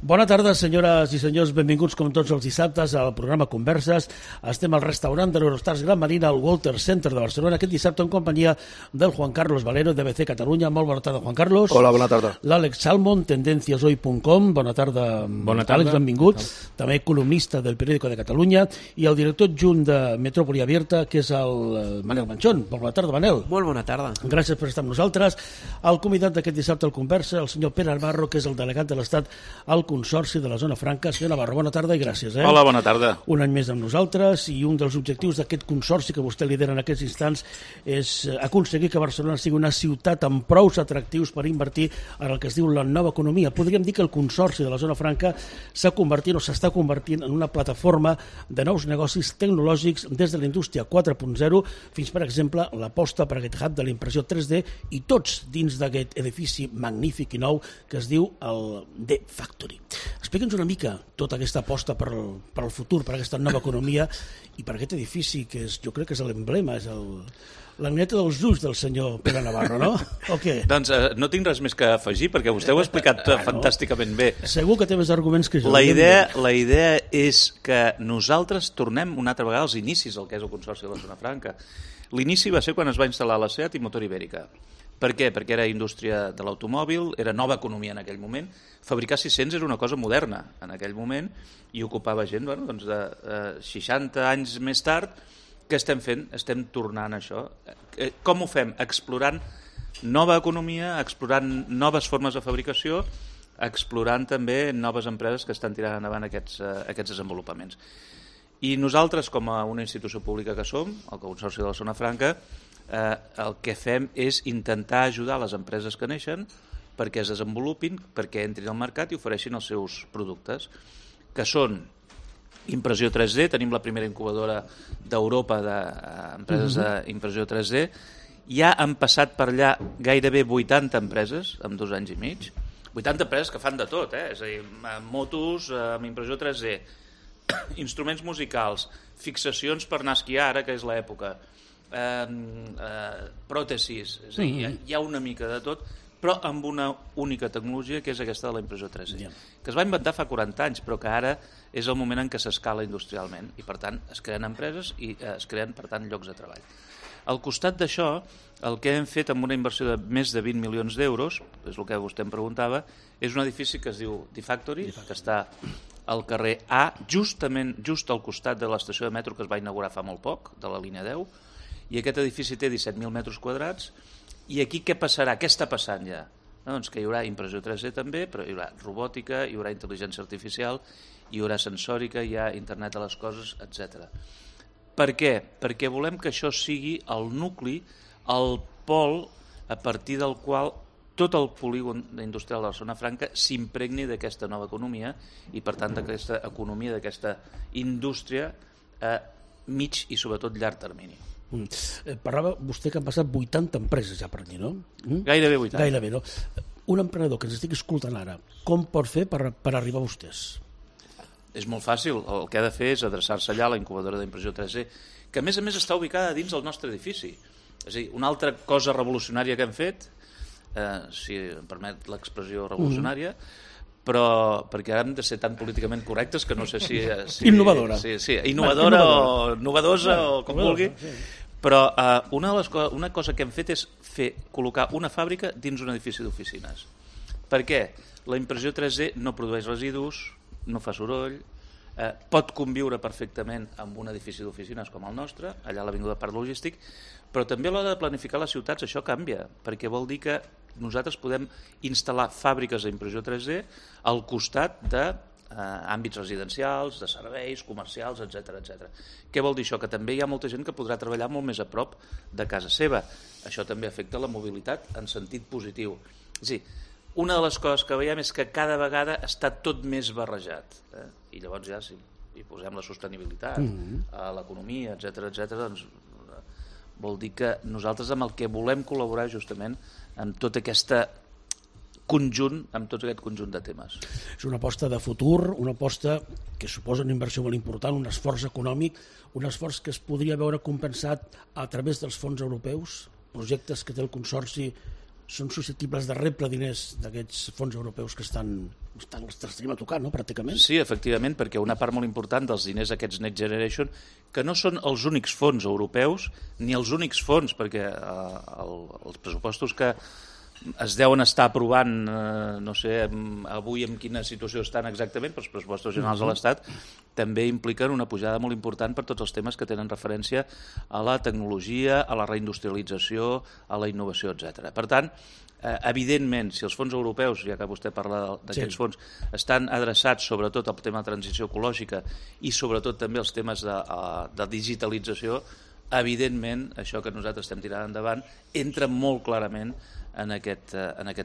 Bona tarda, senyores i senyors, benvinguts com tots els dissabtes al programa Converses. Estem al restaurant de l'Eurostars Gran Marina al Walter Center de Barcelona aquest dissabte en companyia del Juan Carlos Valero d'ABC Catalunya. Molt bona tarda, Juan Carlos. Hola, bona tarda. L'Àlex Salmon, tendenciashoy.com. Bona tarda, Àlex, benvingut. També columnista del Periódico de Catalunya i el director adjunt de Metrópoli Abierta, que és el Manel Manchón. Bona tarda, Manel. Molt bona tarda. Gràcies per estar amb nosaltres. El convidat d'aquest dissabte al Conversa, el senyor Pere Navarro, que és el delegat de l'Estat al Consorci de la Zona Franca. Senyor Navarro, bona tarda i gràcies. Hola, bona tarda. Un any més amb nosaltres i un dels objectius d'aquest consorci que vostè lidera en aquests instants és aconseguir que Barcelona sigui una ciutat amb prous atractius per invertir en el que es diu la nova economia. Podríem dir que el Consorci de la Zona Franca s'ha convertit o s'està convertint en una plataforma de nous negocis tecnològics des de la indústria 4.0 fins, per exemple, l'aposta per aquest hub de la impressió 3D i tots dins d'aquest edifici magnífic i nou que es diu el D-Factory. Explica'ns una mica tota aquesta aposta per al futur, per aquesta nova economia i per aquest edifici que és, jo crec que és l'emblema, és l'aneta dels ulls del senyor Pere Navarro, no? O què? Doncs no tinc res més que afegir perquè vostè ho ha explicat fantàsticament bé. Segur que té més arguments que jo. La idea és que nosaltres tornem una altra vegada als inicis del que és el Consorci de la Zona Franca. L'inici va ser quan es va instal·lar la SEAT i Motor Ibèrica. Per què? Perquè era indústria de l'automòbil, era nova economia en aquell moment. Fabricar 600 era una cosa moderna en aquell moment i ocupava gent, bueno, doncs de 60 anys més tard. Què estem fent? Estem tornant a això. Com ho fem? Explorant nova economia, explorant noves formes de fabricació, explorant també noves empreses que estan tirant endavant aquests desenvolupaments. I nosaltres, com a una institució pública que som, el Consorci de la Zona Franca, el que fem és intentar ajudar les empreses que neixen perquè es desenvolupin, perquè entrin al mercat i ofereixin els seus productes, que són impressió 3D. Tenim la primera incubadora d'Europa d'empreses d'impressió 3D. Ja han passat per allà gairebé 80 empreses en 2 anys i mig. 80 empreses que fan de tot, és a dir, motos amb impressió 3D, instruments musicals, fixacions per anar a esquiar, ara que és l'època, pròtesis, és a dir, hi ha una mica de tot, però amb una única tecnologia que és aquesta de la impressió 3D, que es va inventar fa 40 anys, però que ara és el moment en què s'escala industrialment i per tant es creen empreses i es creen per tant llocs de treball. Al costat d'això, el que hem fet amb una inversió de més de 20 milions d'euros, és el que vostè em preguntava, és un edifici que es diu D-Factory, que està al carrer A, just al costat de l'estació de metro que es va inaugurar fa molt poc, de la línia 10, i aquest edifici té 17.000 metres quadrats. I aquí què passarà? Què està passant ja? Doncs que hi haurà impressió 3D també, però hi haurà robòtica, hi haurà intel·ligència artificial, hi haurà sensòrica, hi ha internet de les coses, etc. Per què? Perquè volem que això sigui el nucli, el pol a partir del qual tot el polígon industrial de la Zona Franca s'impregni d'aquesta nova economia i per tant d'aquesta economia, d'aquesta indústria a mig i sobretot llarg termini. Parlava vostè que han passat 80 empreses ja per allí, no? Gairebé 80. Gairebé, no? Un emprenedor que ens estigui escoltant ara, com pot fer per arribar a vostès? És molt fàcil, el que ha de fer és adreçar-se allà a la incubadora d'impressió 3D, que a més està ubicada dins del nostre edifici. És a dir, una altra cosa revolucionària que hem fet, si em permet l'expressió revolucionària, però perquè ara hem de ser tan políticament correctes que no sé si innovadora. Sí, innovadora o novedosa o com vulgui. Però una cosa que hem fet és col·locar una fàbrica dins un edifici d'oficines. Per què? La impressió 3D no produeix residus, no fa soroll, pot conviure perfectament amb un edifici d'oficines com el nostre, allà a l'Avinguda Parc Logístic, però també a l'hora de planificar les ciutats això canvia, perquè vol dir que nosaltres podem instal·lar fàbriques d'impressió 3D al costat d'àmbits residencials, de serveis, comercials, etc. Què vol dir això? Que també hi ha molta gent que podrà treballar molt més a prop de casa seva. Això també afecta la mobilitat en sentit positiu. És a dir, una de les coses que veiem és que cada vegada està tot més barrejat. I llavors ja, si hi posem la sostenibilitat, l'economia, etc., doncs vol dir que nosaltres amb el que volem col·laborar justament amb tot aquest conjunt de temes. És una aposta de futur, una aposta que suposa una inversió molt important, un esforç econòmic, un esforç que es podria veure compensat a través dels fons europeus, projectes que té el Consorci són susceptibles de rebre diners d'aquests fons europeus que estan a tocar, no?, pràcticament. Sí, efectivament, perquè una part molt important dels diners d'aquests Next Generation, que no són els únics fons europeus, ni els únics fons, perquè els pressupostos que es deuen estar aprovant, no sé avui en quina situació estan exactament, però els pressupostos generals de l'Estat també impliquen una pujada molt important per tots els temes que tenen referència a la tecnologia, a la reindustrialització, a la innovació, etc. Per tant, evidentment, si els fons europeus, ja que vostè parla d'aquests fons, estan adreçats sobretot al tema de transició ecològica i sobretot també als temes de digitalització, evidentment, això que nosaltres estem tirant endavant entra molt clarament en aquest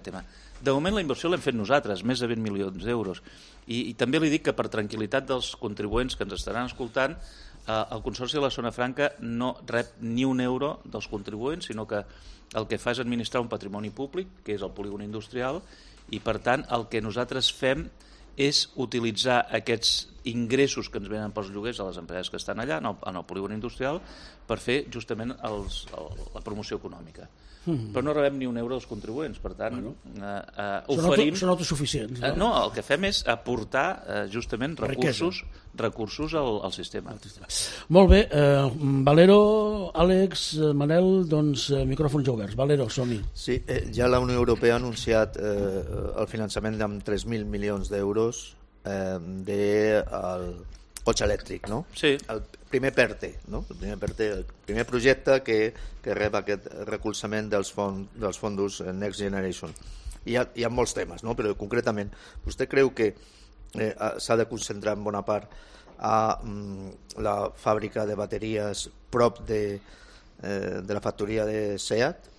tema. De moment la inversió l'hem fet nosaltres, més de 20 milions d'euros. I també li dic que per tranquil·litat dels contribuents que ens estaran escoltant, el Consorci de la Zona Franca no rep ni un euro dels contribuents, sinó que el que fa és administrar un patrimoni públic, que és el polígon industrial, i per tant el que nosaltres fem és utilitzar aquests ingressos que ens venen pels lloguers a les empreses que estan allà, en el polígon industrial, per fer justament la promoció econòmica. Però no rebem ni un euro dels contribuents, per tant, oferim... Són autosuficients. No, el que fem és aportar justament recursos al sistema. Molt bé, Valero, Àlex, Manel, doncs micròfons oberts. Valero, som-hi. Sí, ja la Unió Europea ha anunciat el finançament amb 3.000 milions d'euros del cotxe elèctric, no? Sí. El primer PERTE, no? El primer projecte que rep aquest recolzament dels fons Next Generation. Hi ha molts temes, no? Però concretament, vostè creu que s'ha de concentrar en bona part a la fàbrica de bateries prop de la factoria de SEAT?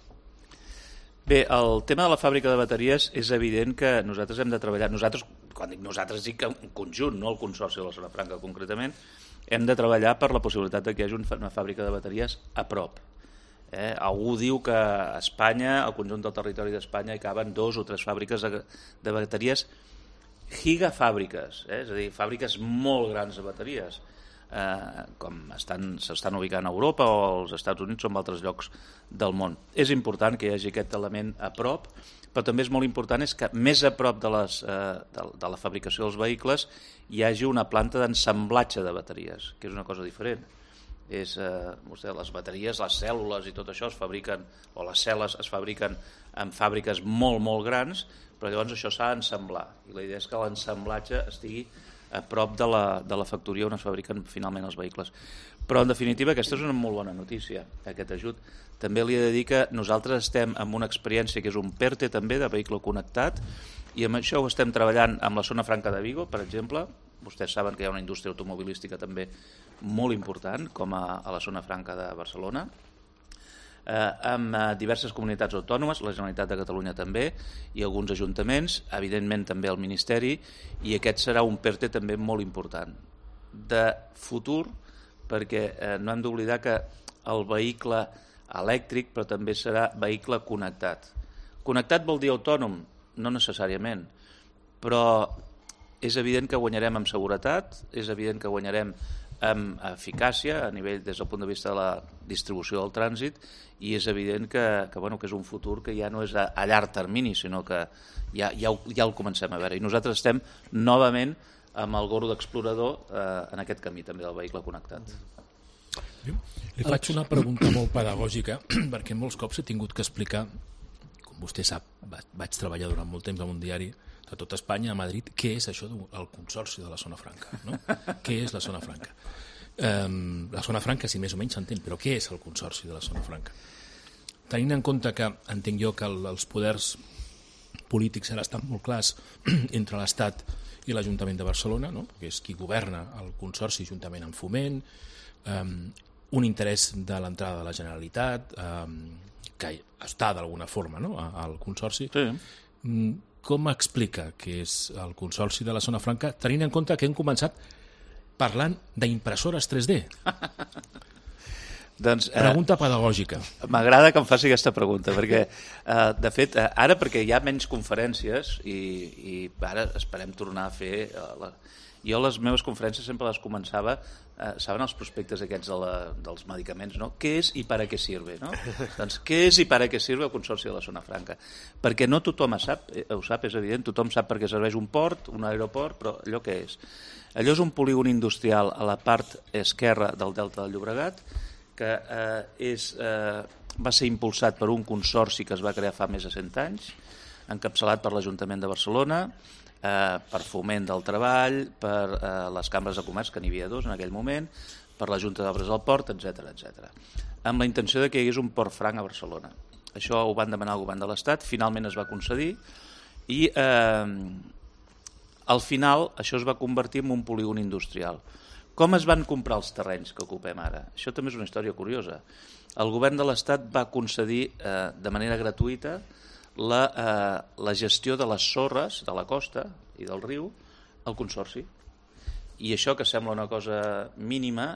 Bé, el tema de la fàbrica de bateries és evident que nosaltres hem de treballar. Nosaltres, quan dic nosaltres, dic en conjunt, no el Consorci de la Zona Franca concretament, hem de treballar per la possibilitat que hi hagi una fàbrica de bateries a prop. Algú diu que a Espanya, al conjunt del territori d'Espanya, hi caben 2 o 3 fàbriques de bateries, gigafàbriques, és a dir, fàbriques molt grans de bateries, com s'estan ubicant a Europa o als Estats Units o en altres llocs del món. És important que hi hagi aquest element a prop, però també és molt important és que més a prop de la fabricació dels vehicles hi hagi una planta d'ensamblatge de bateries, que és una cosa diferent. Les bateries, les cèl·lules i tot això es fabriquen, o les cel·les es fabriquen en fàbriques molt, molt grans, però llavors això s'ha d'ensamblar. I la idea és que l'ensamblatge estigui a prop de la factoria on es fabriquen finalment els vehicles. Però, en definitiva, aquesta és una molt bona notícia, aquest ajut. També li he de dir que nosaltres estem amb una experiència que és un PERTE també, de vehicle connectat, i amb això ho estem treballant amb la Zona Franca de Vigo, per exemple. Vostès saben que hi ha una indústria automobilística també molt important, com a la Zona Franca de Barcelona, amb diverses comunitats autònomes, la Generalitat de Catalunya també, i alguns ajuntaments, evidentment també el Ministeri, i aquest serà un PERTE també molt important. De futur, perquè no hem d'oblidar que el vehicle elèctric, però també serà vehicle connectat. Connectat vol dir autònom? No necessàriament, però és evident que guanyarem en seguretat, és evident que guanyarem amb eficàcia a nivell des del punt de vista de la distribució del trànsit, i és evident que és un futur que ja no és a llarg termini, sinó que ja el comencem a veure. I nosaltres estem novament amb el gorro d'explorador en aquest camí també del vehicle connectat. Li faig una pregunta molt pedagògica, perquè molts cops he tingut que explicar, com vostè sap, vaig treballar durant molt temps en un diari de tot Espanya, a Madrid, què és això del Consorci de la Zona Franca, no? Què és la Zona Franca? La Zona Franca, si més o menys s'entén, però què és el Consorci de la Zona Franca? Tenint en compte que, entenc jo, que els poders polítics ara estan molt clars entre l'Estat i l'Ajuntament de Barcelona, no? Que és qui governa el Consorci juntament amb Foment, un interès de l'entrada de la Generalitat, que està d'alguna forma, no? Al Consorci. Sí. Com explica què és el Consorci de la Zona Franca, tenint en compte que hem començat parlant d'impressores 3D? Doncs, Pregunta pedagògica. M'agrada que em faci aquesta pregunta, perquè, de fet, ara perquè hi ha menys conferències i ara esperem tornar a fer... Jo les meves conferències sempre les començava, saben els prospectes aquests dels medicaments, no? Què és i para què sirve, no? Doncs què és i para què sirve el Consorci de la Zona Franca? Perquè no tothom ho sap, és evident, tothom sap per què serveix un port, un aeroport, però allò què és? Allò és un polígon industrial a la part esquerra del Delta del Llobregat, que va ser impulsat per un consorci que es va crear fa més de 100 anys, encapçalat per l'Ajuntament de Barcelona, per Foment del Treball, per les cambres de comerç, que n'hi havia 2 en aquell moment, per la Junta d'Obres del Port, etc. Amb la intenció de que hi hagués un port franc a Barcelona. Això ho van demanar al govern de l'Estat, finalment es va concedir i al final això es va convertir en un polígon industrial. Com es van comprar els terrenys que ocupem ara? Això també és una història curiosa. El govern de l'Estat va concedir de manera gratuïta la gestió de les sorres de la costa i del riu al Consorci. I això, que sembla una cosa mínima,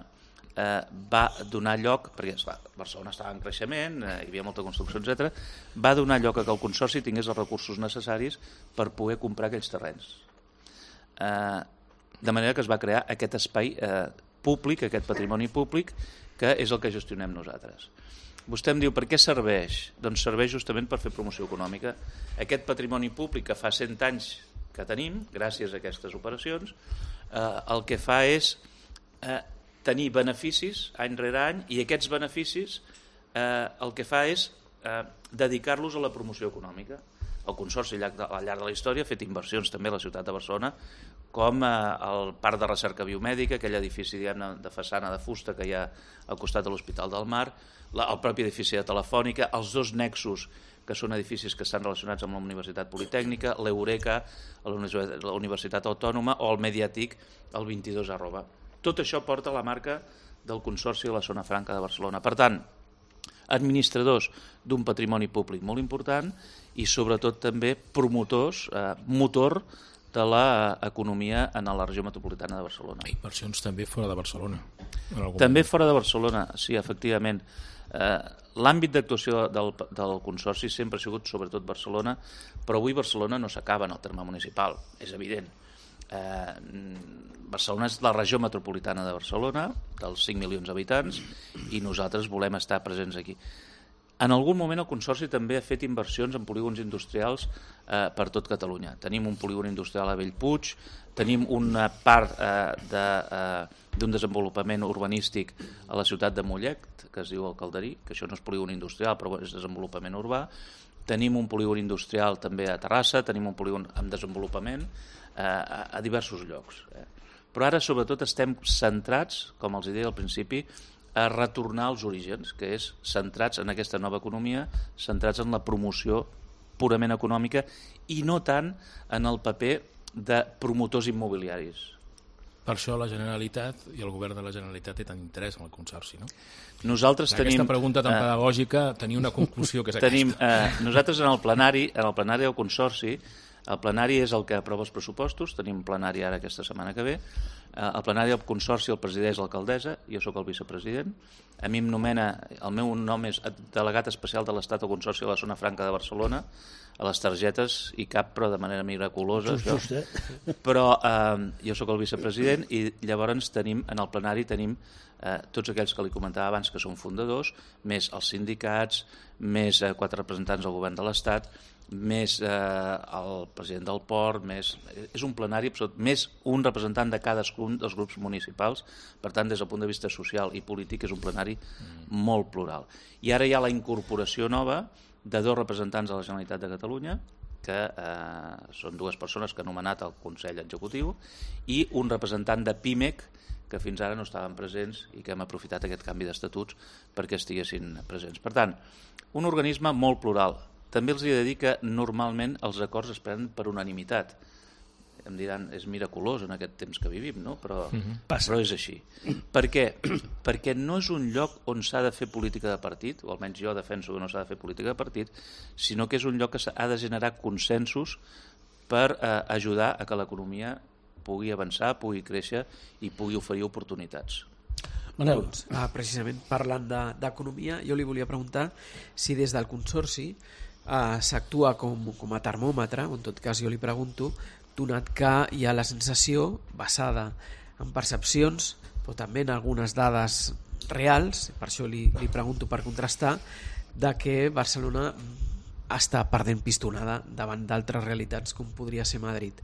va donar lloc, perquè esclar, Barcelona estava en creixement, hi havia molta construcció, etc., va donar lloc a que el Consorci tingués els recursos necessaris per poder comprar aquells terrenys. De manera que es va crear aquest espai públic, aquest patrimoni públic, que és el que gestionem nosaltres. Vostè em diu, per què serveix? Doncs serveix justament per fer promoció econòmica. Aquest patrimoni públic que fa 100 anys que tenim, gràcies a aquestes operacions, el que fa és tenir beneficis any rere any, i aquests beneficis el que fa és dedicar-los a la promoció econòmica. El Consorci al llarg de la història ha fet inversions també a la ciutat de Barcelona, com el Parc de Recerca Biomèdica, aquell edifici de façana de fusta que hi ha al costat de l'Hospital del Mar, el propi edifici de Telefònica, els 2 nexus, que són edificis que estan relacionats amb la Universitat Politècnica, l'Eureka, la Universitat Autònoma, o el Mediàtic, el 22@. Tot això porta la marca del Consorci de la Zona Franca de Barcelona. Per tant, administradors d'un patrimoni públic molt important i sobretot també promotors, motor de l'economia en la regió metropolitana de Barcelona. Inversions també fora de Barcelona. També fora de Barcelona, sí, efectivament. L'àmbit d'actuació del Consorci sempre ha sigut sobretot Barcelona, però avui Barcelona no s'acaba en el terme municipal, és evident. Barcelona és la regió metropolitana de Barcelona, dels 5 milions d'habitants, i nosaltres volem estar presents aquí. En algun moment el Consorci també ha fet inversions en polígons industrials per tot Catalunya. Tenim un polígon industrial a Bellpuig, tenim una part d'un desenvolupament urbanístic a la ciutat de Mollet, que es diu el Calderí, que això no és polígon industrial, però és desenvolupament urbà. Tenim un polígon industrial també a Terrassa, tenim un polígon en desenvolupament a diversos llocs. Però ara sobretot estem centrats, com els deia al principi, a retornar als orígens, que és centrats en aquesta nova economia, centrats en la promoció purament econòmica i no tant en el paper de promotors immobiliaris. Per això la Generalitat i el govern de la Generalitat té tant interès en el Consorci, no? Nosaltres tenim... Aquesta pregunta tan pedagògica tenia una conclusió que és aquesta. Nosaltres en el plenari del Consorci, el plenari és el que aprova els pressupostos, tenim plenari ara aquesta setmana que ve, el plenari del Consorci el presideix l'alcaldessa, jo sóc el vicepresident, a mi em nomena, el meu nom és delegat especial de l'Estat al Consorci de la Zona Franca de Barcelona, a les targetes hi cap, però de manera miraculosa. Però jo sóc el vicepresident i llavors tenim, en el plenari tenim tots aquells que li comentava abans que són fundadors, més els sindicats, més 4 representants del govern de l'Estat, més el president del port, és un plenari, més un representant de cadascun dels grups municipals, per tant, des del punt de vista social i polític és un plenari molt plural. I ara hi ha la incorporació nova de 2 representants de la Generalitat de Catalunya, que són 2 persones que ha nomenat el Consell Executiu, i un representant de PIMEC, que fins ara no estaven presents i que hem aprofitat aquest canvi d'estatuts perquè estiguessin presents. Per tant, un organisme molt plural. També els he de dir que normalment els acords es prenen per unanimitat. Em diran, és miraculós en aquest temps que vivim, no? Però és així. Per què? Perquè no és un lloc on s'ha de fer política de partit, o almenys jo defenso que no s'ha de fer política de partit, sinó que és un lloc que s'ha de generar consensos per ajudar a que l'economia pugui avançar, pugui créixer i pugui oferir oportunitats. Manel. Precisament parlant d'economia, jo li volia preguntar si des del Consorci s'actua com a termòmetre, o en tot cas jo li pregunto, donat que hi ha la sensació basada en percepcions, però també en algunes dades reals, per això li pregunto per contrastar, de que Barcelona està perdent pistonada davant d'altres realitats com podria ser Madrid.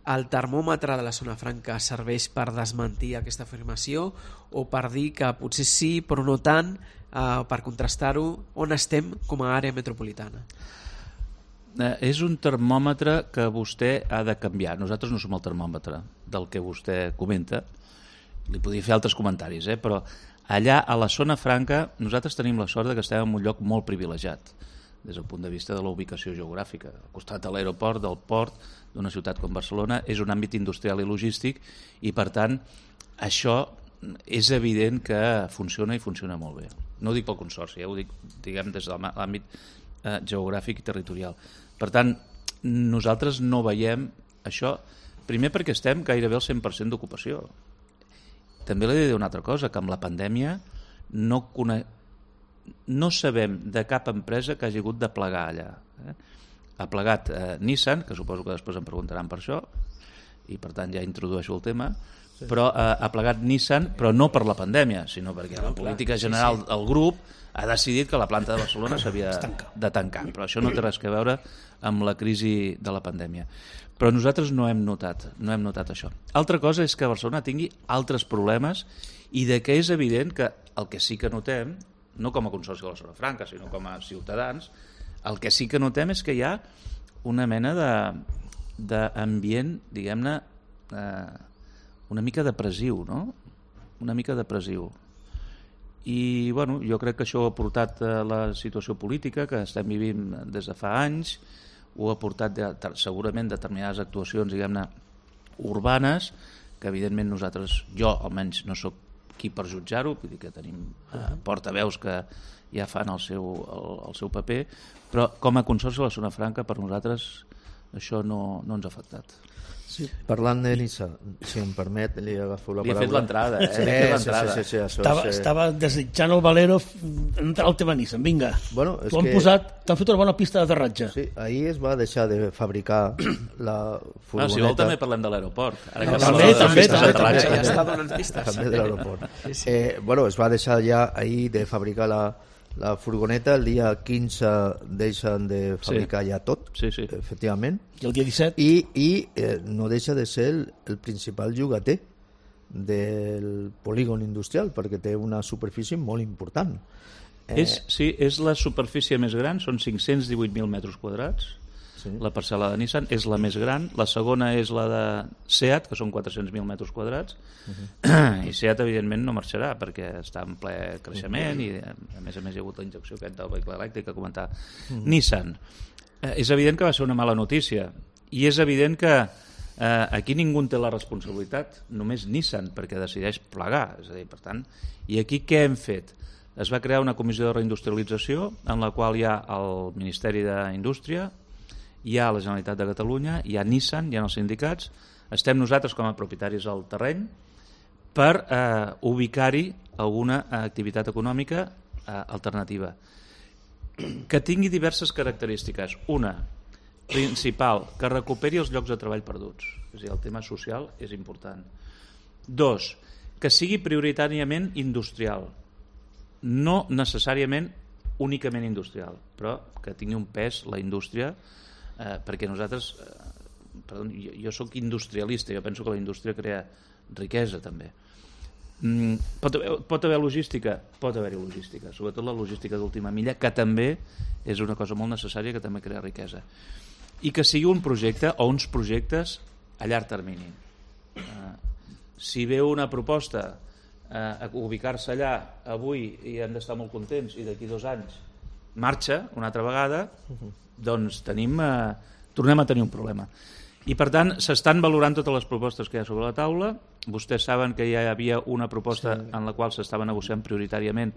El termòmetre de la zona franca serveix per desmentir aquesta afirmació o per dir que potser sí però no tant, per contrastar-ho? On estem com a àrea metropolitana? És un termòmetre que vostè ha de canviar. Nosaltres no som el termòmetre del que vostè comenta. Li podria fer altres comentaris, però allà a la zona franca nosaltres tenim la sort que estem en un lloc molt privilegiat des del punt de vista de la ubicació geogràfica. Al costat de l'aeroport, del port, d'una ciutat com Barcelona, és un àmbit industrial i logístic i, per tant, això és evident que funciona i funciona molt bé. No ho dic pel Consorci, ho dic, diguem, des de l'àmbit geogràfic i territorial. Per tant, nosaltres no veiem això, primer perquè estem gairebé al 100% d'ocupació. També li he de dir una altra cosa, que amb la pandèmia no sabem de cap empresa que hagi hagut de plegar allà. Ha plegat Nissan, que suposo que després em preguntaran per això, i per tant ja introdueixo el tema, però ha plegat Nissan, però no per la pandèmia, sinó perquè la política general del grup ha decidit que la planta de Barcelona s'havia de tancar, però això no té res a veure amb la crisi de la pandèmia. Però nosaltres no hem notat això. Altra cosa és que Barcelona tingui altres problemes i de que és evident que el que sí que notem, no com a Consorci de la Zona Franca, sinó com a ciutadans, el que sí que notem és que hi ha una mena d'ambient, diguem-ne, una mica depressiu, no? Una mica depressiu. I, bueno, jo crec que això ho ha portat la situació política que estem vivint des de fa anys, ho ha portat segurament determinades actuacions, diguem-ne, urbanes, que evidentment nosaltres, jo almenys no sóc qui per jutjar-ho, vull dir que tenim portaveus que ja fan el seu paper, però com a Consorci de la Zona Franca per nosaltres això no ens ha afectat. Sí. Parlant de Nissan, si em permet, li agafo la paraula. Li he fet l'entrada, Sí. Estava desitjant el Valero entrar al tema Nissan, vinga. Bueno, t'han fet una bona pista d'aterratge. Sí, ahir es va deixar de fabricar la furgoneta. Si vol també parlem de l'aeroport. També. Ja està donant pistes. També de l'aeroport. Bueno, es va deixar ja ahir de fabricar la furgoneta, el dia 15 deixen de fabricar ja tot, efectivament. I el dia 17? I no deixa de ser el principal llogater del polígon industrial, perquè té una superfície molt important. És la superfície més gran, són 518.000 metres quadrats. La parcel·la de Nissan és la més gran, la segona és la de Seat, que són 400.000 metres quadrats, i Seat evidentment no marxarà perquè està en ple creixement i a més hi ha hagut la injecció aquest del vehicle elèctric que comentava. Nissan, és evident que va ser una mala notícia i és evident que aquí ningú en té la responsabilitat, només Nissan, perquè decideix plegar, és a dir, per tant, i aquí què hem fet? Es va crear una comissió de reindustrialització en la qual hi ha el Ministeri d'Indústria, hi ha la Generalitat de Catalunya, hi ha Nissan, hi ha els sindicats, estem nosaltres com a propietaris al terreny per ubicar-hi alguna activitat econòmica alternativa que tingui diverses característiques. Una, principal, que recuperi els llocs de treball perduts, és a dir, el tema social és important. Dos, que sigui prioritàriament industrial, no necessàriament únicament industrial, però que tingui un pes la indústria, perquè nosaltres, jo sóc industrialista, jo penso que la indústria crea riquesa també. Pot haver logística? Pot haver-hi logística, sobretot la logística d'última milla, que també és una cosa molt necessària, que també crea riquesa. I que sigui un projecte o uns projectes a llarg termini. Si veu una proposta a ubicar-se allà avui i hem d'estar molt contents i d'aquí 2 anys marxa una altra vegada, doncs tornem a tenir un problema. I per tant s'estan valorant totes les propostes que hi ha sobre la taula. Vostès saben que ja hi havia una proposta en la qual s'estava negociant prioritàriament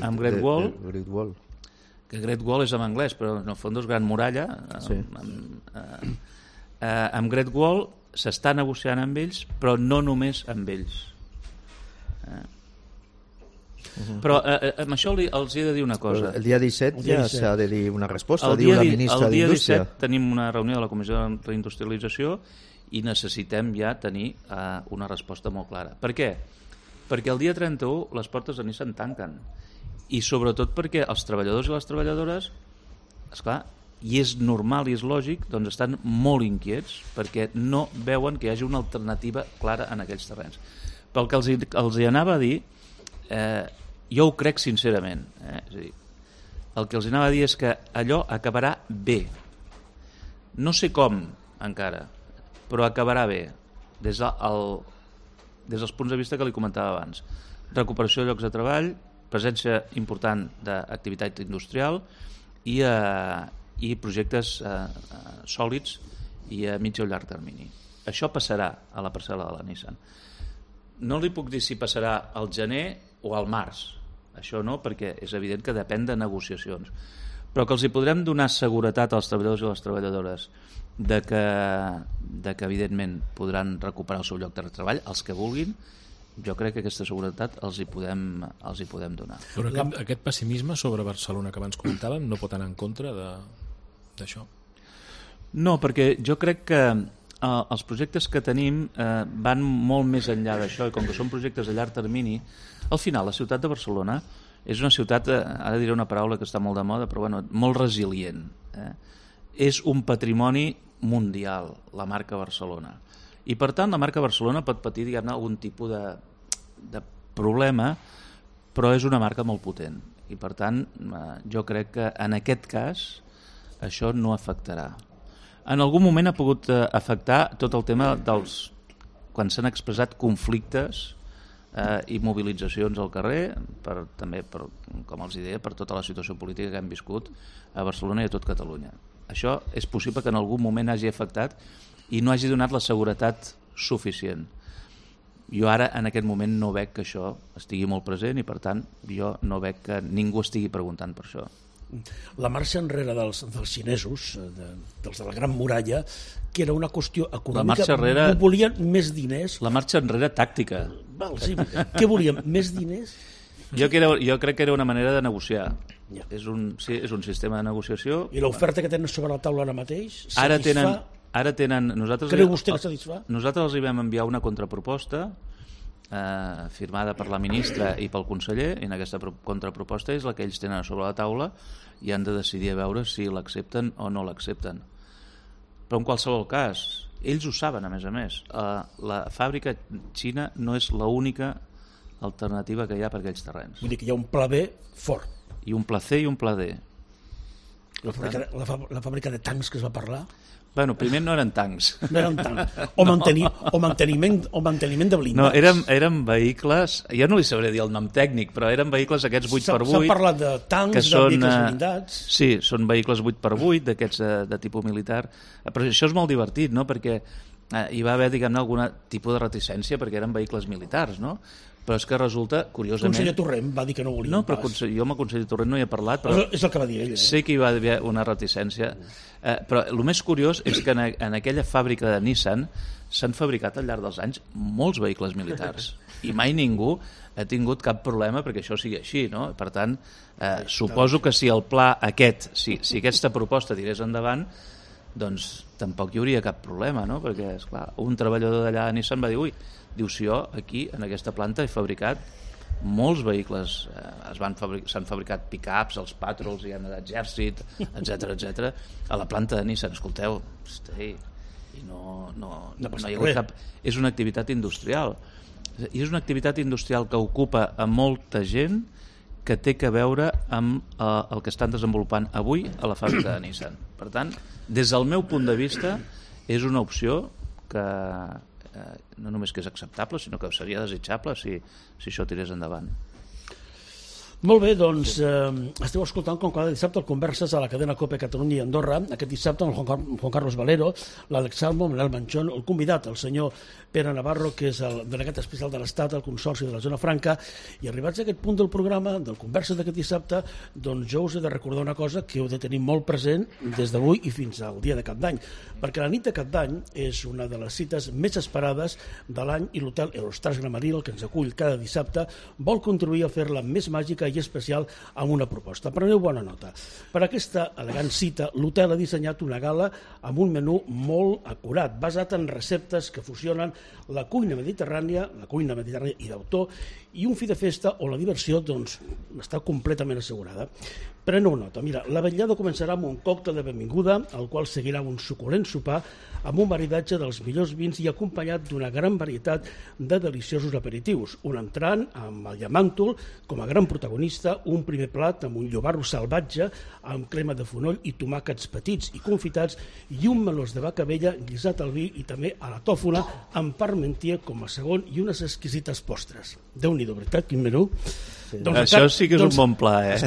amb Great Wall, que Great Wall és en anglès però en el fons és Gran Muralla. Amb Great Wall s'està negociant amb ells, però no només amb ells. Però amb això els he de dir una cosa. El dia 17 ja s'ha de dir una resposta, El diu la ministra dia d'Indústria. 17 tenim una reunió de la Comissió de Reindustrialització i necessitem ja tenir una resposta molt clara. Per què? Perquè el dia 31 les portes de Nissan tanquen. I sobretot perquè els treballadors i les treballadores, esclar, i és normal i és lògic, doncs estan molt inquiets perquè no veuen que hi hagi una alternativa clara en aquells terrenys. Pel que els hi anava a dir, jo ho crec sincerament. És a dir, el que els anava a dir és que allò acabarà bé. No sé com encara, però acabarà bé des dels punts de vista que li comentava abans. Recuperació de llocs de treball, presència important d'activitat industrial i projectes sòlids i a mig o llarg termini. Això passarà a la parcel·la de la Nissan. No li puc dir si passarà al gener o al març. Això no, perquè és evident que depèn de negociacions. Però que els hi podrem donar seguretat als treballadors i les treballadores de que evidentment podran recuperar el seu lloc de treball, els que vulguin, jo crec que aquesta seguretat els hi podem donar. Però aquest pessimisme sobre Barcelona que abans comentàvem no pot anar en contra d'això? No, perquè jo crec que els projectes que tenim van molt més enllà d'això i com que són projectes a llarg termini, al final la ciutat de Barcelona és una ciutat, ara diré una paraula que està molt de moda, però bueno, molt resilient. És un patrimoni mundial, la marca Barcelona. I per tant la marca Barcelona pot patir, diguem-ne, algun tipus de problema, però és una marca molt potent. I per tant jo crec que en aquest cas això no afectarà. En algun moment ha pogut afectar tot el tema dels quan s'han expressat conflictes i mobilitzacions al carrer, també, com els deia, per tota la situació política que hem viscut a Barcelona i a tot Catalunya. Això és possible que en algun moment hagi afectat i no hagi donat la seguretat suficient. Jo ara, en aquest moment, no veig que això estigui molt present i, per tant, jo no veig que ningú estigui preguntant per això. La marxa enrere dels xinesos, dels de la Gran Muralla, que era una qüestió econòmica, volien més diners. La marxa enrere tàctica. Sí. Què volien? Més diners? Jo crec que era una manera de negociar. Ja. És un sistema de negociació. I l'oferta que tenen sobre la taula ara mateix satisfà? Ara tenen... Creu vostè que satisfà? Nosaltres els hi vam enviar una contraproposta firmada per la ministra i pel conseller, i en aquesta contraproposta és la que ells tenen sobre la taula i han de decidir a veure si l'accepten o no l'accepten. Però en qualsevol cas, ells ho saben, a més. La fàbrica xina no és l'única alternativa que hi ha per aquells terrenys. Vull dir que hi ha un pla B fort. I un pla C i un pla D. La fàbrica de tancs que es va parlar? Bueno, primer no eren tancs. No eren tancs. O manteniment de blindats. No, eren vehicles, jo no li sabré dir el nom tècnic, però eren vehicles aquests 8x8. S'ha parlat de tancs, de vehicles blindats. Sí, són vehicles 8x8, d'aquests de tipus militar. Però això és molt divertit, no?, perquè hi va haver, diguem-ne, algun tipus de reticència perquè eren vehicles militars, no? Però és que resulta, curiosament... El conseller Torrent va dir que no volia. No, però jo amb el conseller Torrent no hi he parlat, però... És el que va dir ell. Sé que hi va haver una reticència. Però el més curiós és que en aquella fàbrica de Nissan s'han fabricat al llarg dels anys molts vehicles militars. I mai ningú ha tingut cap problema perquè això sigui així, no? Per tant, suposo que si el pla aquest, si aquesta proposta tirés endavant, doncs tampoc hi hauria cap problema, no? Perquè, esclar, un treballador d'allà a Nissan va dir, diu, si jo aquí, en aquesta planta, he fabricat molts vehicles, s'han fabricat pick-ups, els Patrols, hi ha d'exèrcit, etc. A la planta de Nissan, escolteu, i no hi ha hagut cap... És una activitat industrial. I és una activitat industrial que ocupa a molta gent que té a veure amb el que estan desenvolupant avui a la fàbrica de Nissan. Per tant, des del meu punt de vista, és una opció que no només que és acceptable, sinó que seria desitjable si això tirés endavant. Molt bé, doncs esteu escoltant com cada dissabte el Converses a la cadena COPE Catalunya i Andorra. Aquest dissabte amb el Juan Carlos Valero, l'Àlex Salmo, Manel Manchón, el convidat, el senyor Pere Navarro, que és el delegat especial de l'Estat al Consorci de la Zona Franca. I arribats a aquest punt del programa, del Converses d'aquest dissabte, doncs jo us he de recordar una cosa que heu de tenir molt present des d'avui i fins al dia de Cap d'Any, perquè la nit de Cap d'Any és una de les cites més esperades de l'any i l'hotel Eurostars Gramaril, que ens acull cada dissabte, vol contribuir a fer-la més màgica i especial amb una proposta. Preneu bona nota. Per aquesta elegant cita, l'hotel ha dissenyat una gala amb un menú molt acurat, basat en receptes que fusionen la cuina mediterrània i d'autor, i un fi de festa on la diversió doncs, està completament assegurada. Preneu nota. Mira, la vetllada començarà amb un còctel de benvinguda, al qual seguirà un suculent sopar amb un maridatge dels millors vins i acompanyat d'una gran varietat de deliciosos aperitius. Un entrant amb el llamàntol com a gran protagonista, un primer plat amb un llobarro salvatge amb crema de fonoll i tomàquets petits i confitats i un melós de vaca vella guisat al vi i també a la tòfona amb parmentier com a segon i unes exquisites postres. Déu-n'hi-do, veritat, quin menú. Sí. Doncs, això sí que és un bon pla, eh?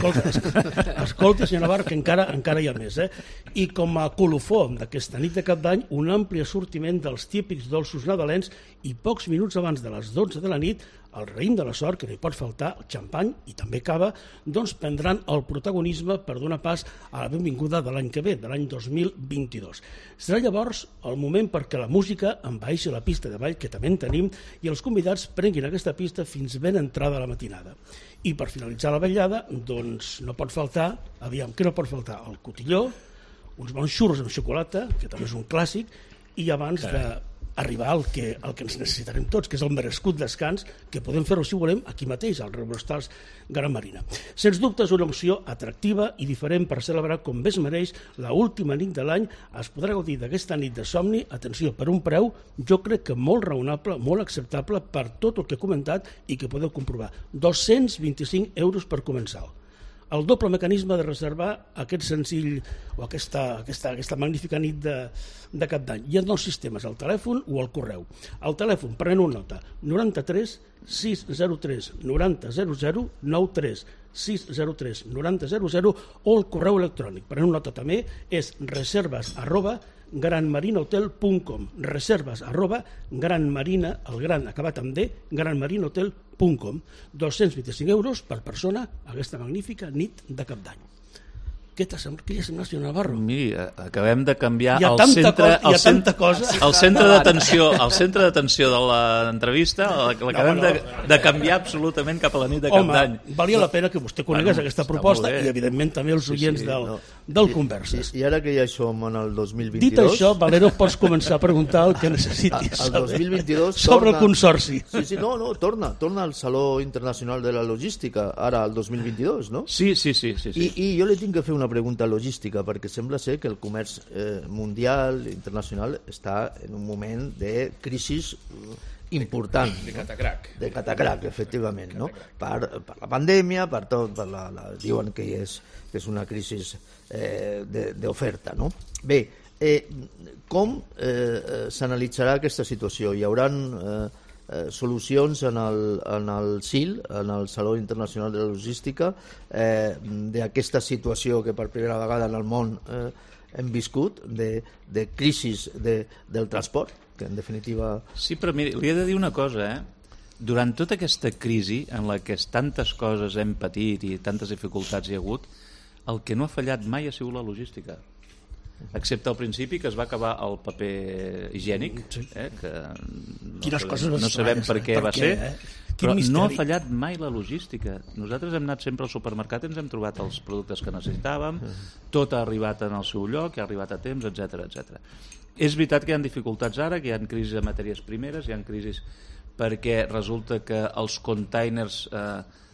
Escolta, senyor Navarro, que encara hi ha més, eh? I com a colofó d'aquesta nit de Cap d'Any, un ampli assortiment dels típics dolços nadalencs i pocs minuts abans de les 12 de la nit, el raïm de la sort, que no hi pot faltar, el xampany i també cava, doncs prendran el protagonisme per donar pas a la benvinguda de l'any que ve, de l'any 2022. Serà llavors el moment perquè la música envaeixi la pista de ball, que també en tenim, i els convidats prenguin aquesta pista fins ben entrada a la matinada. I per finalitzar la vetllada, doncs no pot faltar, què no pot faltar? El cotilló, uns bons xurros amb xocolata, que també és un clàssic, i abans d'arribar al que ens necessitarem tots, que és el merescut descans, que podem fer-ho, si volem, aquí mateix, al Eurostars Gran Marina. Sens dubte és una opció atractiva i diferent per celebrar com bé es mereix l'última nit de l'any. Es podrà gaudir d'aquesta nit de somni, atenció, per un preu, jo crec que molt raonable, molt acceptable per tot el que he comentat i que podeu comprovar. 225 euros per començar. El doble mecanisme de reservar aquest senzill o aquesta magnífica nit de Cap d'Any. Hi ha dos sistemes, el telèfon o el correu. El telèfon, preneu nota, 93 603 9000, 93 603 9000, o el correu electrònic, preneu nota també, és reserves@granmarinahotel.com, reserves@granmarina, el gran acabat amb D, granmarinahotel.com. 225 euros per persona a aquesta magnífica nit de Cap d'Any. Què t'ha semblat, senyor Navarro? Miri, acabem de canviar el centre d'atenció de l'entrevista, l'acabem de canviar absolutament cap a la nit de Cap d'Any. Home, valia la pena que vostè conegués aquesta proposta i, evidentment, també els oients del Converses. I ara que ja som en el 2022... Dit això, Valero, pots començar a preguntar el que necessitis el 2022 sobre el Consorci. Sí, torna al Saló Internacional de la Logística, ara el 2022, no? Sí. I jo li tinc que fer una pregunta logística, perquè sembla ser que el comerç mundial, internacional, està en un moment de crisi important. De catacrac. De catacrac, efectivament, no? Per la pandèmia, per tot, diuen que és una crisi d'oferta, no? Bé, com s'analitzarà aquesta situació? Hi haurà solucions en el SIL, en el Saló Internacional de la Logística, d'aquesta situació que per primera vegada en el món hem viscut, de crisi del transport, que en definitiva... Sí, però miri, li he de dir una cosa, Durant tota aquesta crisi en la que tantes coses hem patit i tantes dificultats hi ha hagut, el que no ha fallat mai ha sigut la logística. Excepte al principi, que es va acabar el paper higiènic, que no sabem per què va ser, però no ha fallat mai la logística. Nosaltres hem anat sempre al supermercat i ens hem trobat els productes que necessitàvem, tot ha arribat en el seu lloc, ha arribat a temps, etc. És veritat que hi ha dificultats ara, que hi ha crisis de matèries primeres, hi ha crisis perquè resulta que els containers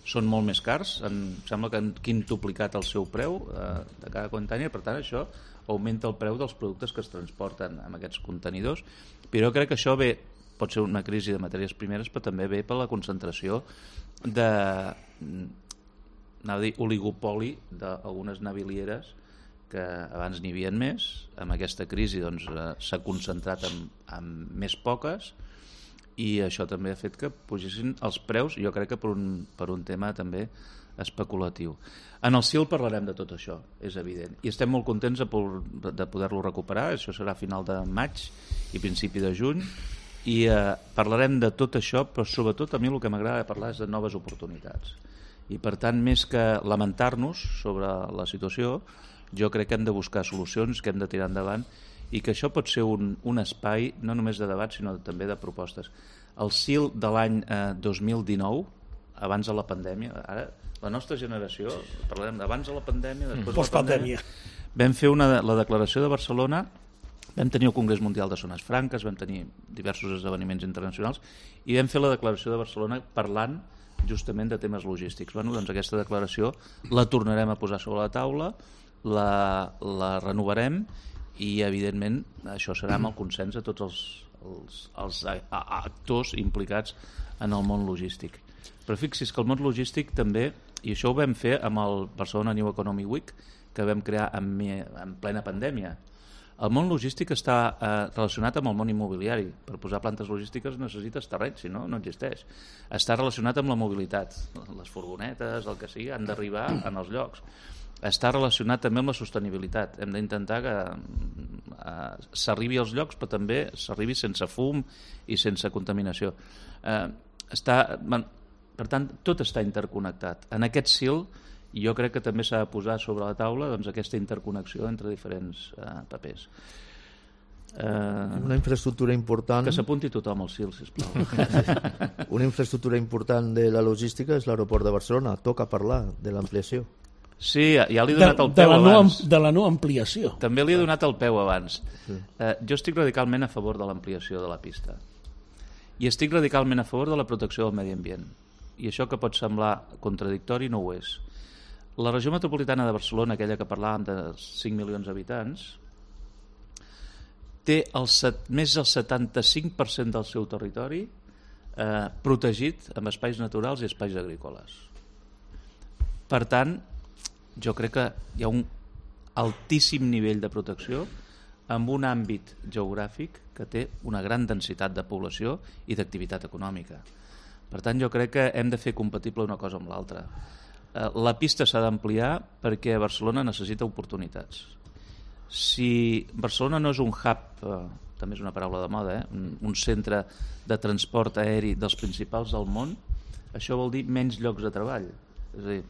són molt més cars, sembla que han quintuplicat el seu preu de cada container, per tant això augmenta el preu dels productes que es transporten amb aquests contenidors, però jo crec que això pot ser una crisi de matèries primeres, però també ve per la concentració oligopoli d'algunes navilieres que abans n'hi havia més, amb aquesta crisi s'ha concentrat en més poques, i això també ha fet que pugessin els preus, jo crec que per un tema també especulatiu. En el CIL parlarem de tot això, és evident, i estem molt contents de poder-lo recuperar. Això serà a final de maig i principi de juny, i parlarem de tot això, però sobretot a mi el que m'agrada parlar és de noves oportunitats. I per tant, més que lamentar-nos sobre la situació, jo crec que hem de buscar solucions, que hem de tirar endavant, i que això pot ser un espai no només de debat sinó també de propostes. El CIL de l'any 2019, abans de la pandèmia, ara la nostra generació, parlarem d'abans de la pandèmia, després de la pandèmia, vam fer la declaració de Barcelona, vam tenir el Congrés Mundial de Zones Franques, vam tenir diversos esdeveniments internacionals i vam fer la declaració de Barcelona parlant justament de temes logístics. Bueno, doncs aquesta declaració la tornarem a posar sobre la taula, la renovarem i evidentment això serà amb el consens de tots els actors implicats en el món logístic. Però fixi's que el món logístic també, i això ho vam fer amb el Barcelona New Economy Week que vam crear en plena pandèmia. El món logístic està relacionat amb el món immobiliari. Per posar plantes logístiques necessites terreny, si no, no existeix. Està relacionat amb la mobilitat. Les furgonetes, el que sigui, han d'arribar en els llocs. Està relacionat també amb la sostenibilitat. Hem d'intentar que s'arribi als llocs, però també s'arribi sense fum i sense contaminació. Per tant, tot està interconnectat. En aquest CIL jo crec que també s'ha de posar sobre la taula doncs, aquesta interconnexió entre diferents papers. Una infraestructura important... Que s'apunti tothom al CIL, sisplau. Una infraestructura important de la logística és l'aeroport de Barcelona. Toca parlar de l'ampliació. Sí, ja li he donat el peu abans. De la no ampliació. També li he donat el peu abans. Jo estic radicalment a favor de l'ampliació de la pista. I estic radicalment a favor de la protecció del medi ambient. I això que pot semblar contradictori no ho és. La regió metropolitana de Barcelona, aquella que parlàvem de 5 milions d'habitants, té més del 75% del seu territori protegit amb espais naturals i espais agrícoles. Per tant, jo crec que hi ha un altíssim nivell de protecció amb un àmbit geogràfic que té una gran densitat de població i d'activitat econòmica. Per tant, jo crec que hem de fer compatible una cosa amb l'altra. La pista s'ha d'ampliar perquè Barcelona necessita oportunitats. Si Barcelona no és un hub, també és una paraula de moda, un centre de transport aeri dels principals del món, això vol dir menys llocs de treball. És a dir,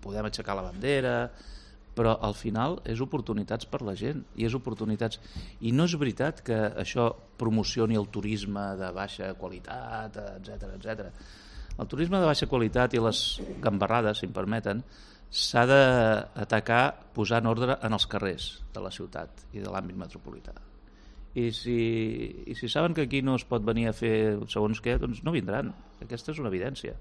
podem aixecar la bandera, però al final és oportunitats per la gent, i és oportunitats. I no és veritat que això promocioni el turisme de baixa qualitat, etc. El turisme de baixa qualitat i les gambarrades, si em permeten, s'ha d'atacar posant ordre en els carrers de la ciutat i de l'àmbit metropolità. I si saben que aquí no es pot venir a fer segons què, doncs no vindran. Aquesta és una evidència.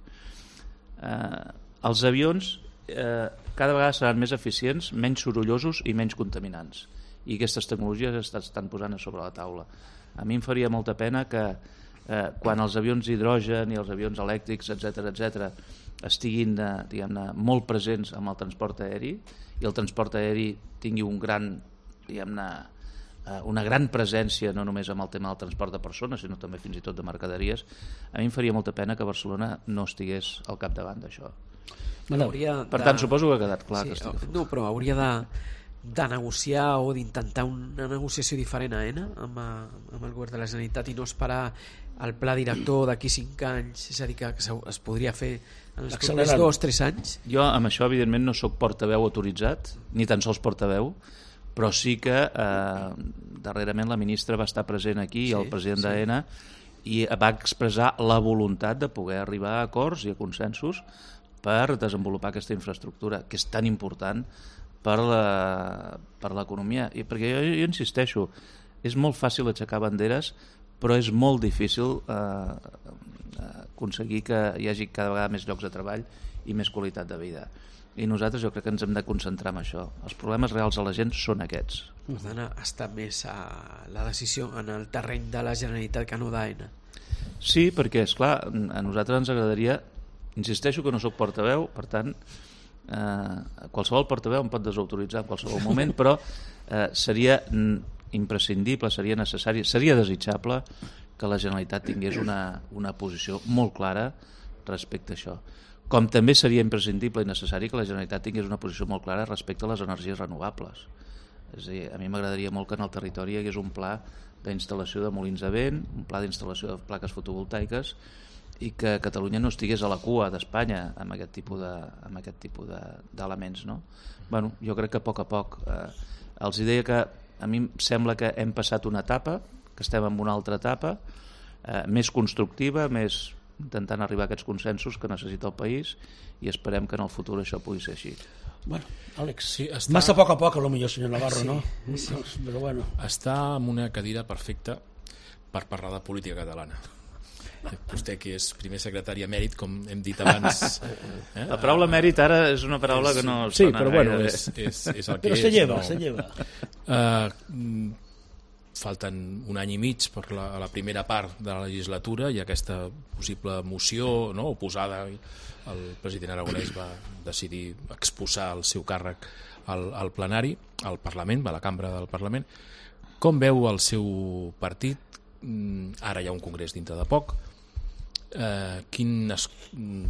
Els avions cada vegada seran més eficients, menys sorollosos i menys contaminants. I aquestes tecnologies estan posant a sobre la taula. A mi em faria molta pena que quan els avions d'hidrogen i els avions elèctrics, etc., estiguin diguem-ne, molt presents amb el transport aeri i el transport aeri tingui una gran presència no només amb el tema del transport de persones sinó també fins i tot de mercaderies, a mi em faria molta pena que Barcelona no estigués al capdavant d'això. Per tant, suposo que ha quedat clar. Sí, no, però hauria de negociar o d'intentar una negociació diferent a ENA amb el govern de la Generalitat i no esperar el pla director d'aquí 5 anys, és a dir, que es podria fer en els propers 2 o 3 anys. Jo amb això evidentment no sóc portaveu autoritzat, ni tan sols portaveu, però sí que darrerament la ministra va estar present aquí, el president d'AENA, i va expressar la voluntat de poder arribar a acords i a consensos per desenvolupar aquesta infraestructura, que és tan important per l'economia. I perquè jo insisteixo, és molt fàcil aixecar banderes, però és molt difícil aconseguir que hi hagi cada vegada més llocs de treball i més qualitat de vida. I nosaltres jo crec que ens hem de concentrar en això. Els problemes reals de la gent són aquests. Per tant, està més la decisió en el terreny de la Generalitat que no d'AENA. Sí, perquè, esclar, a nosaltres ens agradaria... Insisteixo que no sóc portaveu, per tant, qualsevol portaveu em pot desautoritzar en qualsevol moment, però seria imprescindible, seria necessari, seria desitjable que la Generalitat tingués una posició molt clara respecte a això. Com també seria imprescindible i necessari que la Generalitat tingués una posició molt clara respecte a les energies renovables. És a dir, a mi m'agradaria molt que en el territori hi hagués un pla d'instal·lació de molins de vent, un pla d'instal·lació de plaques fotovoltaiques, i que Catalunya no estigués a la cua d'Espanya amb aquest tipus d'elements, no? Bueno, jo crec que a poc els deia que a mi em sembla que hem passat una etapa, que estem en una altra etapa més constructiva, més intentant arribar a aquests consensos que necessita el país, i esperem que en el futur això pugui ser així. Bueno, Àlex, sí, massa a poc, potser, senyor Navarro, sí, no? Sí. Però bueno. Està en una cadira perfecta per parlar de política catalana. Vostè, que és primer secretari emèrit, com hem dit abans. La paraula mèrit ara és una paraula que no sí, però bueno, és el que però se lleva, se lleva. Falten un any i mig per a la primera part de la legislatura i aquesta possible moció, no, oposada. El president Aragonès va decidir exposar el seu càrrec al plenari, al Parlament, a la cambra del Parlament. Com veu el seu partit? Ara hi ha un congrés dintre de poc. Quines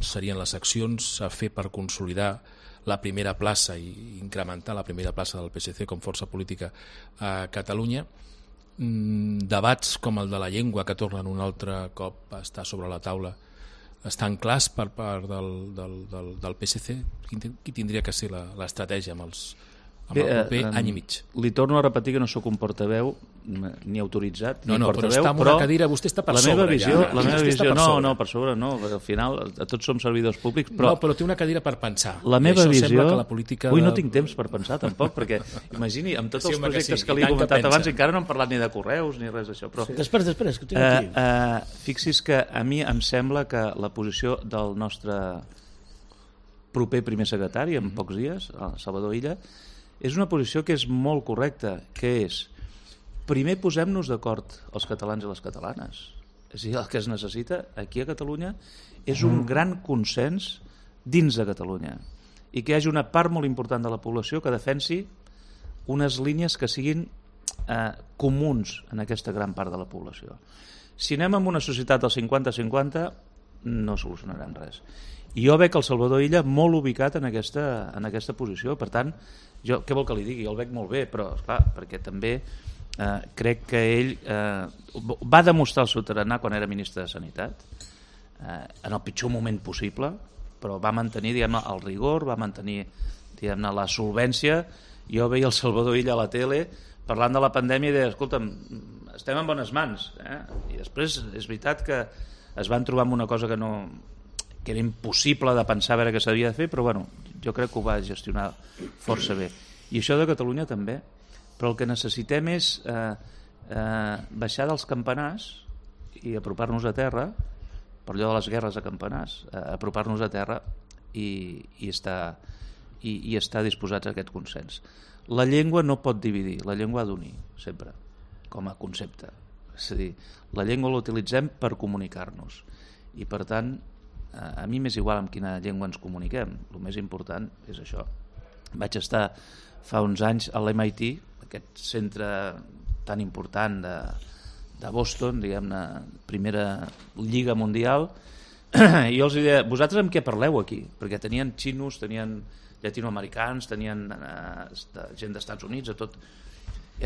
serien les accions a fer per consolidar la primera plaça i incrementar la primera plaça del PSC com força política a Catalunya? Debats com el de la llengua, que tornen un altre cop a estar sobre la taula, estan clars per part del PSC? Qui tindria que ser l'estratègia amb el proper any i mig? Li torno a repetir que no sóc un portaveu ni autoritzat ni portaveu, però està en una cadira, vostè està per sobre. La meva visió, no, per sobre no, al final tots som servidors públics, però té una cadira per pensar. La meva visió, política no tinc temps per pensar tampoc, perquè imagini, amb tots els projectes que li he comentat abans, encara no hem parlat ni de correus ni res d'això, però després, que tinc aquí. Fixi's que a mi em sembla que la posició del nostre proper primer secretari, en pocs dies, Salvador Illa, és una posició que és molt correcta, que és: primer posem-nos d'acord els catalans i les catalanes. És a dir, el que es necessita aquí a Catalunya és un gran consens dins de Catalunya, i que hi hagi una part molt important de la població que defensi unes línies que siguin comuns en aquesta gran part de la població. Si anem amb una societat del 50-50 no solucionarem res. I jo veig el Salvador Illa molt ubicat en aquesta posició. Per tant, jo què vol que li digui? Jo el veig molt bé, però esclar, perquè també crec que ell va demostrar el seu tarannà quan era ministre de Sanitat, en el pitjor moment possible, però va mantenir, diguem-ne, el rigor, va mantenir, diguem-ne, la solvència. Jo veia el Salvador Illa a la tele parlant de la pandèmia i deia: escolta'm, estem en bones mans, I després és veritat que es van trobar amb una cosa que era impossible de pensar a veure què s'havia de fer, però bueno, jo crec que ho va gestionar força bé. I això de Catalunya també. Però el que necessitem és baixar dels campanars i apropar-nos a terra, per allò de les guerres a campanars, apropar-nos a terra i estar disposats a aquest consens. La llengua no pot dividir, la llengua ha d'unir, sempre, com a concepte. És a dir, la llengua l'utilitzem per comunicar-nos, i per tant a mi m'és igual amb quina llengua ens comuniquem, el més important és això. Vaig estar fa uns anys a l'MIT, aquest centre tan important de Boston, diguem-ne, primera lliga mundial, i jo els deia: vosaltres amb què parleu aquí? Perquè tenien xinos, tenien llatinoamericans, tenien gent d'Estats Units, tot.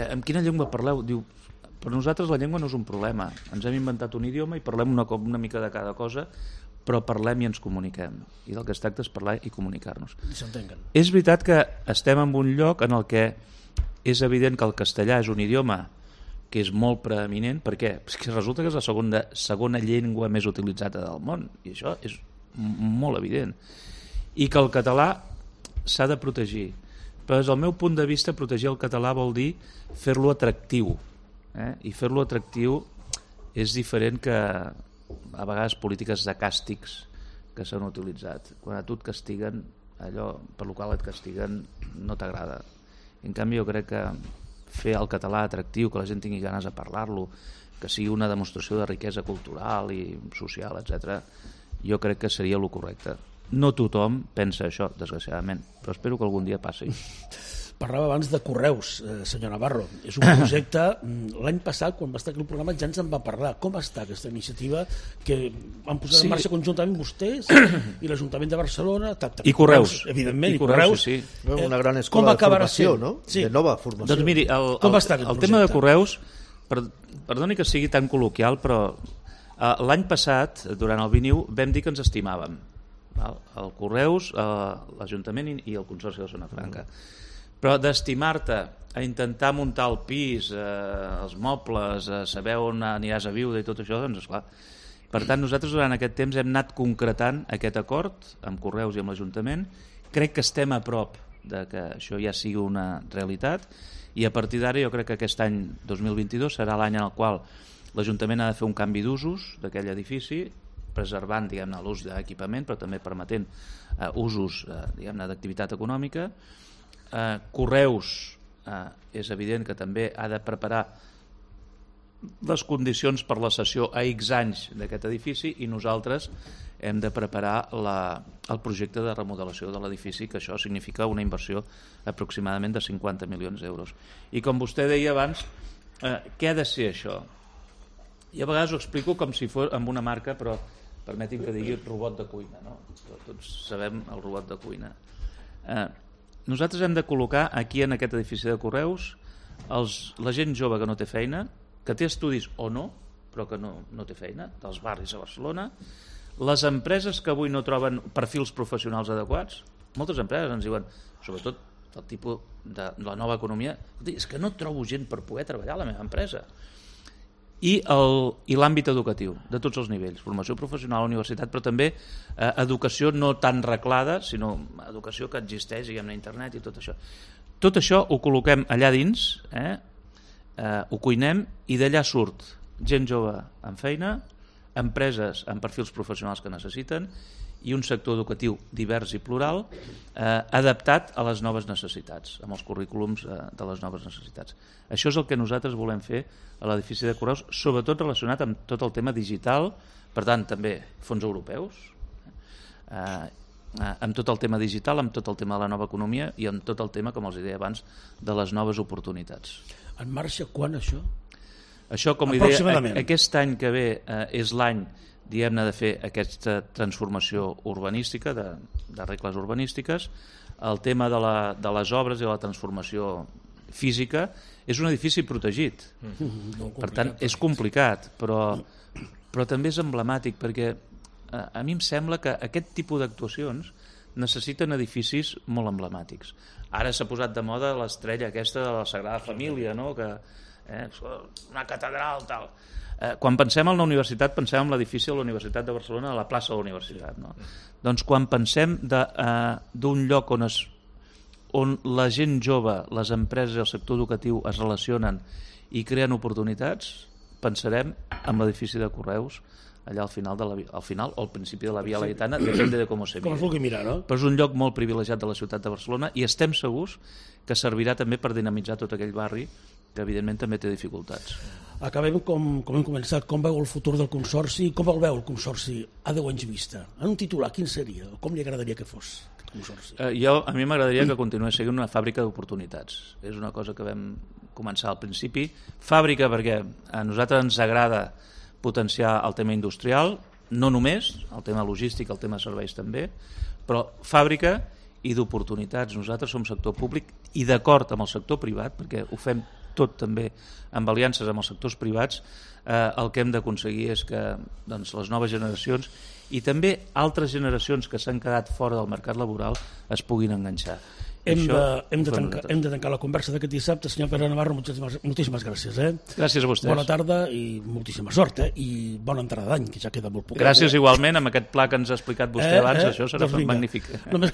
Amb quina llengua parleu? Diu: per nosaltres la llengua no és un problema, ens hem inventat un idioma i parlem una mica de cada cosa, però parlem i ens comuniquem, i del que es tracta és parlar i comunicar-nos. És veritat que estem en un lloc en el que és evident que el castellà és un idioma que és molt preeminent. Per què? Perquè resulta que és la segona llengua més utilitzada del món, i això és molt evident, i que el català s'ha de protegir. Però des del meu punt de vista, protegir el català vol dir fer-lo atractiu, i fer-lo atractiu és diferent que a vegades polítiques de càstigs que s'han utilitzat. Quan a tu et castiguen, allò per lo qual et castiguen no t'agrada. En canvi, jo crec que fer el català atractiu, que la gent tingui ganes de parlar-lo, que sigui una demostració de riquesa cultural i social, etc., jo crec que seria el correcte. No tothom pensa això, desgraciadament, però espero que algun dia passi. Parlava abans de Correus, senyor Navarro. És un projecte, l'any passat, quan va estar aquí el programa, ja ens en va parlar. Com està aquesta iniciativa que van posar en marxa conjuntament vostès i l'Ajuntament de Barcelona? I Correus. Evidentment, i Correus. Sí. Una gran escola de formació, no? Sí. De nova formació. Doncs miri, el tema de Correus, perdoni que sigui tan col·loquial, però l'any passat, durant el 21, vam dir que ens estimàvem. El Correus, l'Ajuntament i el Consorci de Zona Franca. Però d'estimar-te a intentar muntar el pis, els mobles, saber on aniràs a viure i tot això, doncs esclar. Per tant, nosaltres durant aquest temps hem anat concretant aquest acord amb Correus i amb l'Ajuntament. Crec que estem a prop de que això ja sigui una realitat i a partir d'ara jo crec que aquest any 2022 serà l'any en el qual l'Ajuntament ha de fer un canvi d'usos d'aquell edifici, preservant diguem-ne l'ús d'equipament però també permetent usos diguem-ne d'activitat econòmica. Correus és evident que també ha de preparar les condicions per la cessió a X anys d'aquest edifici i nosaltres hem de preparar el projecte de remodelació de l'edifici, que això significa una inversió aproximadament de 50 milions d'euros. I com vostè deia abans, què ha de ser això? I a vegades ho explico com si fos amb una marca, però permeti'm que digui robot de cuina, no? Tots sabem el robot de cuina. Nosaltres hem de col·locar aquí en aquest edifici de Correus la gent jove que no té feina, que té estudis o no, però que no té feina, dels barris a Barcelona, les empreses que avui no troben perfils professionals adequats. Moltes empreses ens diuen, sobretot del tipus de la nova economia, és que no trobo gent per poder treballar a la meva empresa. I l'àmbit educatiu, de tots els nivells, formació professional, universitat, però també educació no tan reglada, sinó educació que existeix, diguem-ne, a internet i tot això. Tot això ho col·loquem allà dins, ho cuinem i d'allà surt gent jove amb feina, empreses amb perfils professionals que necessiten i un sector educatiu divers i plural adaptat a les noves necessitats, amb els currículums de les noves necessitats. Això és el que nosaltres volem fer a l'edifici de Correus, sobretot relacionat amb tot el tema digital, per tant també fons europeus, amb tot el tema digital, amb tot el tema de la nova economia i amb tot el tema, com els deia abans, de les noves oportunitats. En marxa quan això? Això, com li deia, aquest any que ve és l'any diguem-ne de fer aquesta transformació urbanística, de regles urbanístiques. El tema de les obres i la transformació física és un edifici protegit. Per tant, és complicat, però també és emblemàtic, perquè a mi em sembla que aquest tipus d'actuacions necessiten edificis molt emblemàtics. Ara s'ha posat de moda l'estrella aquesta de la Sagrada Família, no? Que una catedral, tal. Quan pensem en la universitat, pensem en l'edifici de la Universitat de Barcelona, a la plaça de la Universitat. No? Doncs quan pensem d'un lloc on la gent jove, les empreses i el sector educatiu es relacionen i creen oportunitats, pensarem en l'edifici de Correus, allà al final o al principi de la Via Laietana, depèn de com se miri. Com es vulgui mirar, no? Però és un lloc molt privilegiat de la ciutat de Barcelona i estem segurs que servirà també per dinamitzar tot aquell barri que evidentment també té dificultats. Acabem com hem començat. Com veu el futur del Consorci? Com el veu el Consorci a 10 anys vista? En un titular, quin seria? Com li agradaria que fos aquest Consorci? A mi m'agradaria que continués sent una fàbrica d'oportunitats. És una cosa que vam començar al principi. Fàbrica perquè a nosaltres ens agrada potenciar el tema industrial, no només, el tema logístic, el tema serveis també, però fàbrica i d'oportunitats. Nosaltres som sector públic i d'acord amb el sector privat, perquè ho fem tot també amb aliances amb els sectors privats, el que hem d'aconseguir és que les noves generacions i també altres generacions que s'han quedat fora del mercat laboral es puguin enganxar. Hem de tancar la conversa d'aquest dissabte. Senyor Pere Navarro, moltíssimes gràcies. Gràcies a vostès. Bona tarda i moltíssima sort. I bona entrada d'any, que ja queda molt poc. Gràcies igualment, amb aquest pla que ens ha explicat vostè abans, això serà magnífic. Només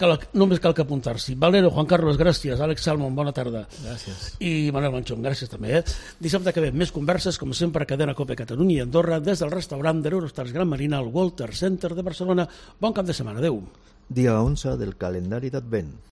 cal que apuntar-s'hi. Valero, Juan Carlos, gràcies. Àlex Salmon, bona tarda. Gràcies. I Manuel Manchón, gràcies també. Dissabte que ve més converses, com sempre, a Cadena Cope Catalunya i Andorra, des del restaurant d'Eurostars Gran Marina al Walter Center de Barcelona. Bon cap de setmana. Adéu. Dia 11 del calendari d'Advent.